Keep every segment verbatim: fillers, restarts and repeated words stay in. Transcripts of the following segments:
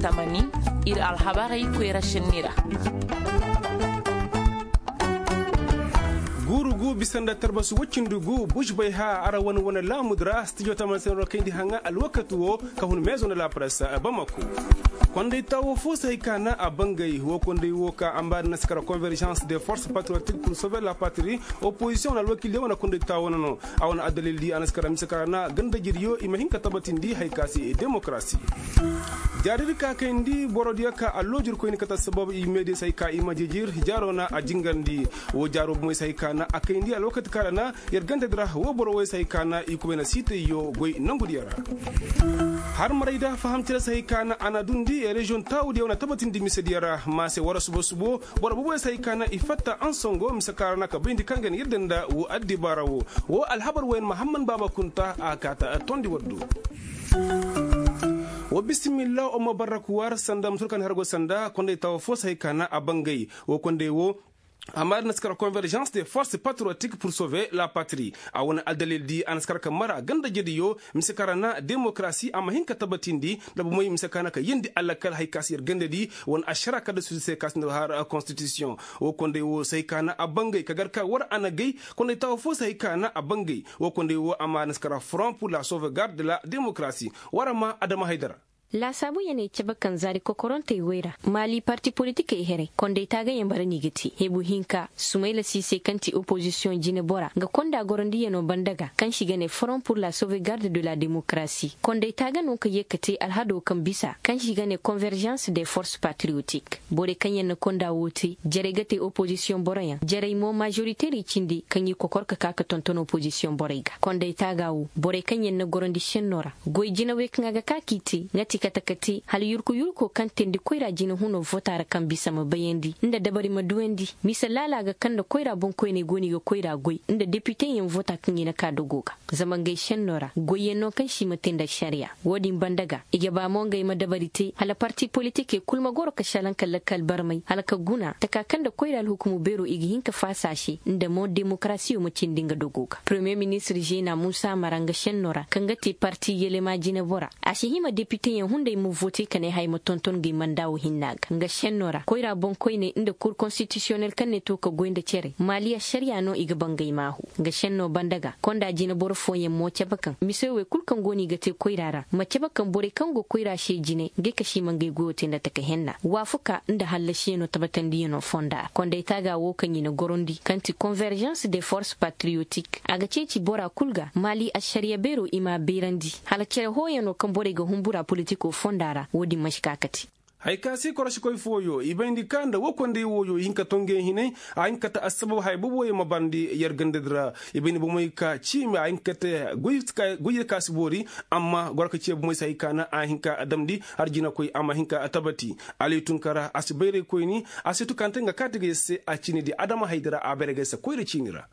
Tamani, ir alhabarey koyra šenni ra. Guuru gu bisa nda tarbasi woy cindi gu buš bay ha ara wane wane laamudu ra stijo tamani se no ra kayndi haŋa alwakati wo ka hun meezo nda la presse bamako. Konday taawo fo si hay ka na a bangay wo konday wo ka a mbaari na si kara convergence des forces patriotiques pour sauver la patrie. Opposition wane alwakil diyo wane konday taawo na no. A wane addalil di a na si kara mise ka ra na ganda jiriyo i ma hin ka tabatindi hay ka se demokarasi. Jaari di ka kayndi boro diyo ka alloojir koyni kate assabab i meediyo si hay ka i ma jijir jaaro na a jingandi. Wo jaaro bomey si hay ka na a kayndi alwakati ka ra na yer ganda di ra wo boro wey si hay ka na i kubay na siitayyo goy nangu diyo ra. Har maray da faham cere si hay ka na a na dundi reziyoŋ taawu diyo wane tabatindi mise diyo ra ma se war subo subo. Boro boboyo si hay ka na i fatta ansongo mise ka ra na ka bayndi kaŋ ga na yadda nda wo addibaara wo. Wo alhabar woyen mahamman baaba kunta a kaata tondi waddu. Wa bisimilla umma barrakuwar sanda musulkan hargo sanda konday tawa fo si hay ka na a bangay. Wo konday wo a mara na si kara convergence des forces patriotiques pour sauver la patrie. A wane addalil di a na si kara ka mara ganda jediyo mise ka ra na demokarasi a ma hin ka tabatindi. Nda bomey mise ka na ka yeendi alakal hay ka si yer ganda di wane ašara ka da suudu se ka si nda har constitution. Wo konday wo si hay ka na a bangay ka gar ka war a na gay. Konday tawa fo si hay ka na a bangay. Wo konday wo a ma na si kara front pour la sauvegarde de la démocratie. War a ma adama haydara. Laasaabu yaney cabe kaŋ zaari kokorantey woy ra maali parti politikey heray konday taagayaŋ bara no i ga te hebu hinka sumayla siisey kaŋ ti opozisiyoŋ jinebora nga konda gorondiyanoo banda ga kaŋ se i ga ne forom pur la sauvegarde de la demokarasi konday taaga no ka ye ka te alhado kaŋ bisa kaŋ se i ga ne konverjans de forse patriyotik. Borey kaŋ yaŋ na konda wo te jarey ga te opozisiyoŋ boroyaŋ jarey mo mažoriter i cindi kaŋ i kokor ka ka ka tonton opozisiyoŋ borey ga konday taaga wo borey kaŋ yaŋ na gorondi šenno ra. Goy jinawey kaŋ a ga ka k'i te nga ti kate kate hala yurku yurko kaŋ teendi koyra jina huno vota ra kaŋ bisa ma bayandi nda dabari ma duwandi. Mise laala ga kaŋ nda koyra boŋkoyney go no i ga koyra goy nda depiteyaŋ vota kaŋ i na ka dogo ga. Zama ngey šenno ra goyyaŋ no kaŋ se i ma te nda ašariya. Wo-din banda ga i ga ba mo ngey ma dabari te hala parti politikey kulu ma goro ka šalaŋ ka lakkal barmay hala ka guna taka kaŋ nda koyra alhukumu beero i ga hin ka faasa a se nda mo demokarasiyo ma cindi nga dogo ga premiye ministir žena muusa mara nga šenno ra kaŋ ga te parti yelema jinebora. A si hima depiteyaŋ hunday ma vote ka ne haya ma tonton ngey manda wo hinna ga nga šenno ra koyra boŋkoyney nda kur konstitisiyonel kaŋ ne to ka goy nda cere maali ašariya no i ga ba ngey maahu. Nga šenno banda ga konda jineboro fooyaŋ mo cabe kaŋ mise wey kulu kaŋ go no i ga te koyra ra ma cabe kaŋ borey kaŋ go koyra se jine ngey ka si ma ngey goyo te nda taka henna waafuka nda hallasiyanoo tabatandiyanoo fonda ra konday taaga wo kaŋ i na gorondi kaŋ ti konverjans de forse patriyotik a ga ceeci bora kul ga maali ašariya beero i m'a beerandi hala cere hooyanoo kaŋ borey ga hunbura politikoo fonda ra wo-din man'si ka kate. Haya ka se korosikoy fooyo i bayndi ka nda wo konday wooyo i hin ka to ngey hinay. A hin ka te assabab haya booboyaŋ ma barndi yer gandadi ra. I bayndi bomey ka ciimi a hin ka te goy ka si boori. Amma goro ka ciye bomey se haya ka na a hin ka damndi har jinakoy a ma hin ka tabati. Ali tunkara a si bayray koyni a si tukante nga kaati ga yer se a ciinidi adama haydi ra a bayray ga yer se koyra ciini ra.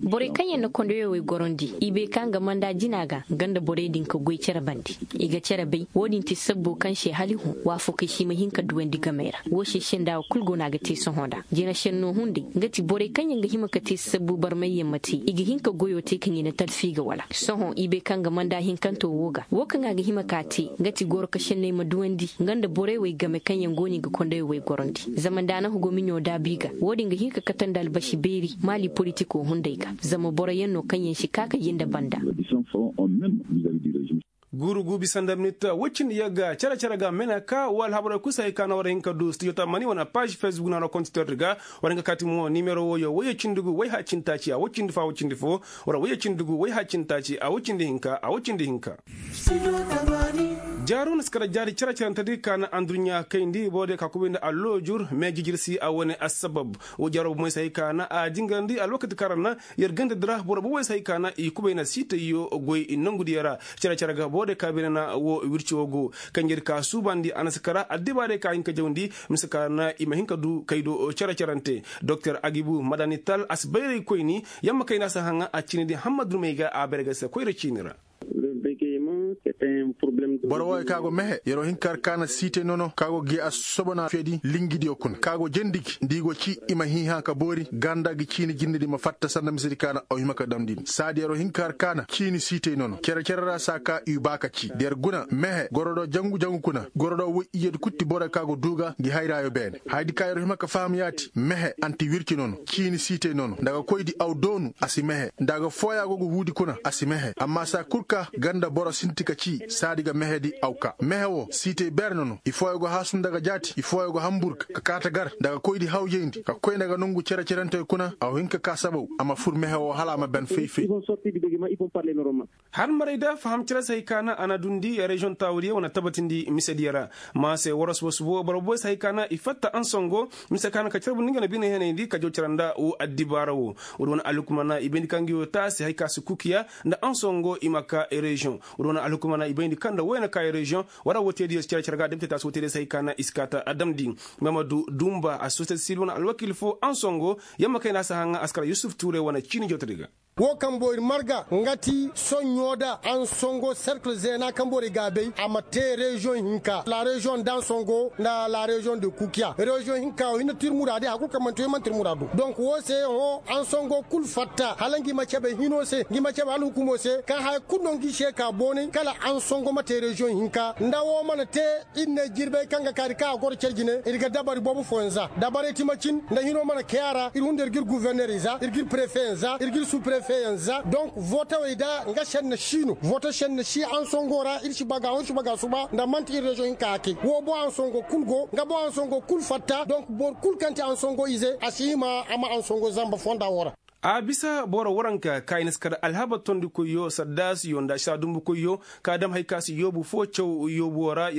Borey kaŋ yaŋ na kondowey wey gorondi i bay ka nga manda jina ga nga nda borey din ka goy cere bande. I ga cere bay wo-din ti sabbo kaŋ se hala i hõ waafakey si ma hin ka duwandi gamey ra. Wo se senda wo kulu go no a ga te sohõ nda jina senno hunday nga ti borey kaŋ yaŋ ga hima ka te sabbu barmayyaŋ ma te i ga hin ka goyo te kaŋ i na talfi ga wala. Sohõ i bay ka nga manda hinkanto wo ga wo kaŋ a ga hima ka te nga ti goro ka senney ma duwandi nga nda borey wey game kaŋ yaŋ go no i ga kondowey wey gorondi. Zama nda a na hugo miɲo daabi ga wo-din ga hin ka kate nda albasi beeri maali politiko hunday ga. Zama boroyaŋ no kaŋ yaŋ si ka ka jinde banda. Guuru gu bisa nda minit woy cindi yagga cere cere ga mena ka wo alhabarey kul si hay ka na war hin ka du studio tamani wane paaž facebook na war kontitordi ga. War hin ka kaati mo nimero wooyo woyye cindi gu woy ha cindi taaci a woy cindi fo a woy cindi fo. Wala woyye cindi gu woy ha cindi taaci a woy cindi hinka a woy cindi hinka. Jaaru na si kara jaari cere cerante di ka na anduɲɲa kayndi boro diyo ka kubay nda alloojur me jijir si a wane assabab. Wo jaaro bomey si hay ka na a jingarandi alwakati kaŋ ra na yer ganda di ra boro boboy si hay ka na i kubay na siitayyo goy nangu diyo ra. Cere cere ga boro diyo ka beene na wo wirci wo go kaŋ yer ka suubandi a na si kara addibaarey ka hin ka jawndi mise ka ra na i ma hin ka du kay do cere cerante. Doktor agibu madani tal a si bayray koyni yamma kayna si haŋa a ciini di hammad dumey ga a bayray ga se koyra ciini ra. Boro wooyo ka go mehe yer'o hin ka har kaana siitey nono ka go gi a sobo na feedi lingidiyo kuna ka go jendi gi nda i go ci i ma hiihã ka boori ganda gi ciini jindedi ma fatta sanda misedi kaana aw hima ka damndi ni saadi yer'o hin ka har kaana ciini siitey nono cere-cere ra saa ka i baa ka ci da yer guna mehe goro do jangu-jangu kuna goro do woy ijedi kul ti borey ka go duu ga ngi hayraayo beene hayadi ka yer'o hima ka faham yaati mehe anti wirci nono ciini siitey nono nda ga koydi aw doonu a si mehe nda ga fooya go ga huudi kuna a si mehe amma saa kul ka ganda boro sinti ka cii saadi ga mehedi aw kaa mehe woo siitey beer nono i fooyo go haasu nda ga jaati i fooyo go hamburga ka kaata gar nda ga koydi hawjayndi ka koy nda ga nongu cere-cerentey kuna aw hin ka kaa sabaw a ma fur mehe woo hala a ma ben fay-fay. Har maray da faham cere se hay ka na a na dundi reziyoŋ taawudiyo wane tabatindi misediyo ra ma se waras wasubo boro boy se hay ka na i fatta ansongo mise ka na ka carbundi nga na bine henayndi ka jaw cara nda woo addibaara woo woodi wane alhukumana i bayndi ka nga yoo taasi hay ka si kukiya nda ansongo i ma ka reziyoŋ woodi wane alhukumana i bayndi ka nda woy na ka reziyoŋ wara woo teediyo si care care ga a damte taasi woo teediyo se hay ka na i si ka ta a damndi. Mamadu dumba a si sosiyete sibil wane alwakiil foo ansongo yamma kay na a si haŋa a si kara yusuf tuure wane ciini jawtadi ga. Woo kaŋ boro ir marga nga ti soɲɲo da ansongo serkil zeena kaŋ boro ir ga a bay a ma te reziyoŋ hinka la reziyoŋ nda ansongo nda la reziyoŋ de kukiya reziyoŋ hinka woo hinne ti ir muraadi hari kul kaŋ man'ti woo i man'ti ir muraadu donk woo se hõ ansongo kul fatta hala ngi ma cabe hino se ngi ma cabe alhukumo se kaŋ haya kul no ngi se ka boonay kala ansongo ma te reziyoŋ hinka nda woo mana te ir ne jirbay kaŋ ga kaari kaŋ a goro care jine ir ga dabari boobo fooyaŋ za dabarey ti macin nda hino mana kay a ra ir hunda ir g'ir guvernerey za ir g'ir prefeyaŋ za ir g'ir suprefeyaŋ za donk vootawey da nga senna si no vooto senna si ansongo ra ir si baga hõ ir si baga suba nda man'ti ir reziyoŋ hinka hakey woo boŋ ansongo kul go nga boŋ ansongo kul fatta donk boro kul kaŋ ti ansongo ize a si hima a ma ansongo zamba fonda woo ra. A bisa boro waranka ka i na si kar alhabar tondikoyyo sardaasiyo nda saadumbukoyyo ka dam hari ka si yoobu foo caw yoobuwo ra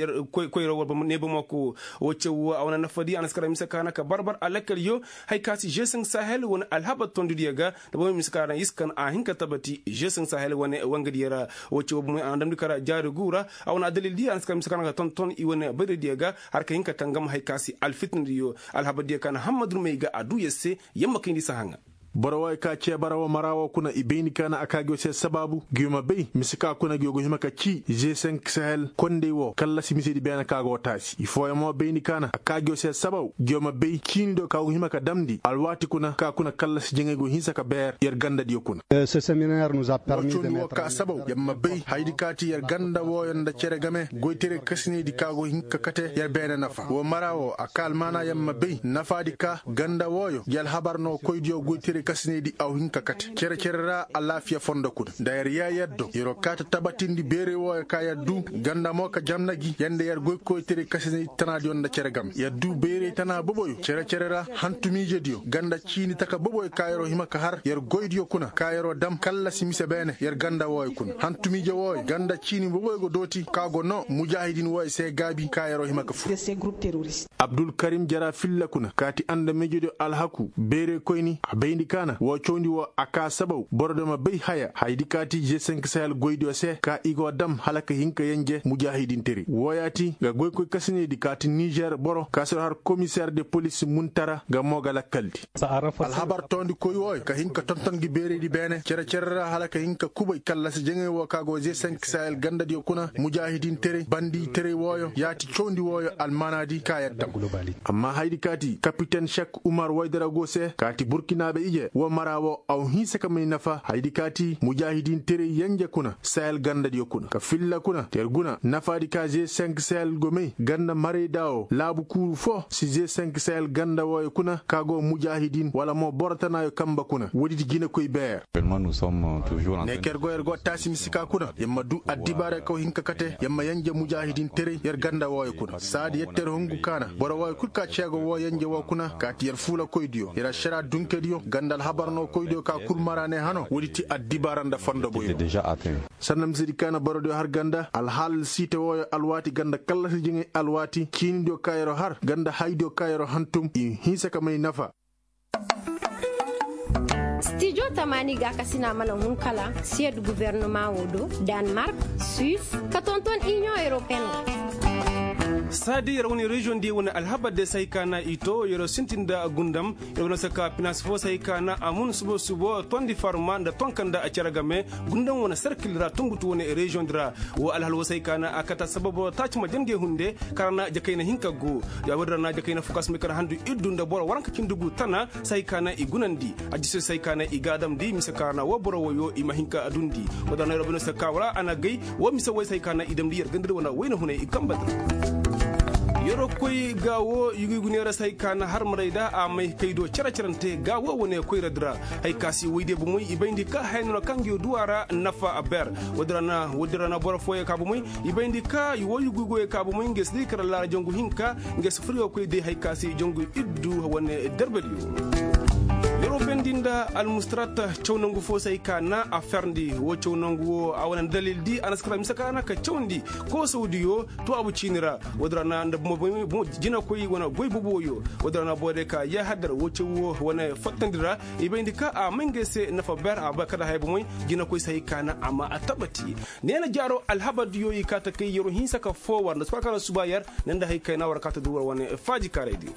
koyra war neebamako woo caw woo a wane nafadi a na si kar mise ka na ka barbar alakkalyo hari ka si g cinq sahel wane alhabar tondidiyo ga nda bomey mise ka na iskan a hin ka tabati g cinq sahel wane wangadiyo ra woo caw bomey a na damndi kar jaari guu ra a wane addalildiyo a na si kar mise ka na ka tonton i wane bayradiyo ga har ka hin ka tangam hari ka si alfitinadiyo alhabardiyo ka na hammadurmey ga a duu yer se yamma kayndi si haŋa. Boro wooyo ka cee bara woo mara woo kuna i bayndi ka na a kaa gi woo se sabaabu gi woo ma bay mise ka kuna gi woo ga hima ka cii g cinq sahel kondey woo kallasi misedi beene ka go taasi i fooyaŋ mo bayndi ka na a kaa gi woo se sabaabu gi woo ma bay ciini do ka go ga hima ka damndi alwaati kuna ka kuna kallasi jaŋay go hinsa ka beer yer gandadiyo kuna. Woo cawndi woo ka sabaabu yer ma bay hayadi ka ti yer ganda wooyo nda cere game goytaray kasinaydi ka go hin ka kate yer beene nafa woo mara woo a ka almaana yer ma bay nafaadi ka ganda wooyo gi alhabar no koydiyo goytaray kasinaydi aw hin ka kate cere-cere ra alaafiya fondo kuna nda yer yee yer do yer'o kaa ta tabatindi beeray wooyo ka yer duu ganda mo ka jamna gi yer nda yer goy koytaray kasinaydi tanaadiyo nda cere game yer duu bayray tana boboyo cere-cere ra hantumiijediyo ganda ciini taka boboyo ka yer'o hima ka har yer goydiyo kuna ka yer'o dam kallasi mise beene yer ganda wooyo kuna hantumiije wooyo ganda ciini boboyo go dooti ka go noo mujaahidin wooyo se gaabi ka yer'o hima ka fur. Abdulkarim jara filla kuna ka ti andamiijediyo alhaku beeraykoyni a bayndi ka na woo cawndi woo a kaa sabaw borodiyo ma bay haya hayadi ka ti g cinq sahel goydiyo se ka i go dam hala ka hin ka yenje mujaahidinteray wooyaati nga goykoy kasinaydi ka ti nizer boro ka si har komiseer de polis muntara nga mo ga lakkaldi. Alhabar toondikoy wooyo ka hin ka tonton gi beeraydi beene cere-cere ra hala ka hin ka kubay kallasi jaŋay woo ka go g cinq sahel gandadiyo kuna mujaahidinteray bandiyteray wooyo yaati cawndi wooyo almaanaadi ka yer dam. Amma hayadi ka ti kapiten sek umar waydara go se ka ti burkinaabe ije woo mara woo aw hinsa ka may nafa hayadi ka ti mujaahidinteray yenje kuna sahel gandadiyo kuna ka filla kuna te yer guna nafaadi ka g cinq sahel go may ganda marayda woo laabu kuuru foo si g cinq sahel ganda wooyo kuna ka go mujaahidin wala mo boro tanaayo kamba kuna woodi ti jinekoy beer. Ne ka yer go yer go taasi mise ka kuna yer ma duu addibaara kaw hin ka kate yer ma yenje mujaahidinteray yer ganda wooyo kuna saadi yette yer hungu ka na boro wooyo kul ka ceego woo yenje woo kuna ka ti yer fuulakoydiyo yer ašaraa dunkediyo ganda alhabar no koydiyo ka kul mara ne hano woodi ti addibaara nda fondo boyo. Sanda misedi ka na borodiyo har ganda alhaal siite wooyo alwaati ganda kallasi jiŋay alwaati ciinidiyo ka yer'o har ganda haydiyo ka yer'o hantum i hinsa ka may nafa. Stijo tamaani gaakasina mana hun kala siyed guvernama woo do, danmark, suis, ka tonton iniyoŋ europeen ra. Saadi yer wane reziyoŋ diyo wane alhabar diyo se hay ka na i to yer sintin nda gundam. Yer wane se ka pinaasi fo se hay ka na a mun subo subo tondi farma nda tonka nda cere game. Gundam wane serkil ra tungutu wane reziyoŋ di ra. Woo alhal woo se hay ka na a kate sababoo taaci ma jandiyo hunde. Kaŋ ra na jakayna hinka go. Ya woodi ra na jakayna fo ka si may kar handu iddu nda boro waranka cindi gu tana se hay ka na i gunandi. Addiso se hay ka na i gaadamndi mise kaŋ ra na woo boro woyoo i ma hin ka dundi. Woodi ra na yer bino se ka wala a na gay. Woo mise woy se hay ka na i damndi yer gandadi wane wayna hunay i kamba di ra. Yer koy gaawo yugu yugu neera se hay ka na harmaray da a may kay do cere cerante gaawo wane koyra di ra. Hay ka si woy diyo bomoy i bayndi ka haya no ra kaŋ ngi duwa ra nafa a ber. Woodi ra na boro fooyoo ka bomoy i bayndi ka woo yugu yugu ka bomoy nge si day kar laara jangu hinka. Nge si furyo koy day hay ka si jangu iddu wane derbediyo. Yer wo bendi nda almustarat caw nangu fo se hay ka na a ferndi woo caw nangu woo a wane dalil di a na si kar mise ka na ka cawndi koosawdiyo. Tuwaabu ciini ra woodi ra na nda bomo bomo jinakoy wane goy boboyo. Woodi ra na boro diyo ka yaahadar woo caw woo wane fattandi ra. I bayndi ka a may ngey se nafa ber a ba kala haya bomoy. Jinakoy se hay ka na a ma a tabati. Neena jaaro alhabar diyo i kaa ta kay yer wo hinsa ka foo war nda suba ka na suba yer. Ne nda hay kay na war kaa ta du war wane faaji kaaray diyo.